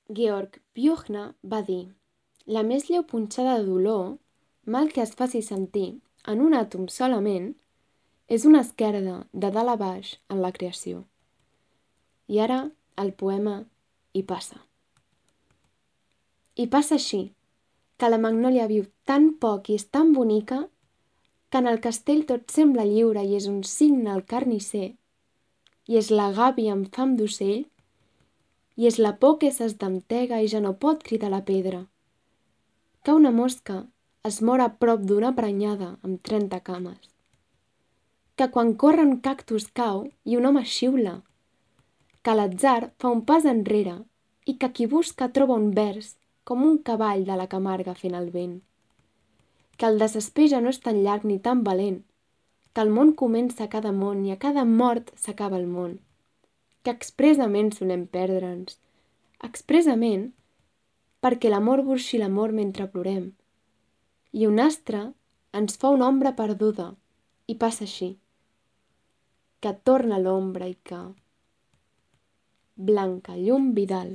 Georg Büchner va dir: la més lleu punxada de dolor, mal que es faci sentir en un àtom solament, és una esquerda de dalt a baix en la creació. I ara el poema hi passa. I passa així, que la magnòlia viu tan poc i és tan bonica que en el castell tot sembla lliure i és un cigne al carnisser, i és la gàbia amb fam d'ocell, i és la por que s'esdentega i ja no pot cridar la pedra, que una mosca es mor a prop d'una prenyada amb 30 cames, que quan corre un cactus cau i un home xiula, que l'atzar fa un pas enrere i que qui busca troba un vers com un cavall de la Camarga fent el vent, que el desesper ja no és tan llarg ni tan valent, que el món comença a cada món i a cada mort s'acaba el món, que expressament solem perdre'ns, expressament perquè l'amor burxi l'amor mentre plorem, i un astre ens fa una ombra perduda i passa així, que torna l'ombra i que... Blanca Llum Vidal.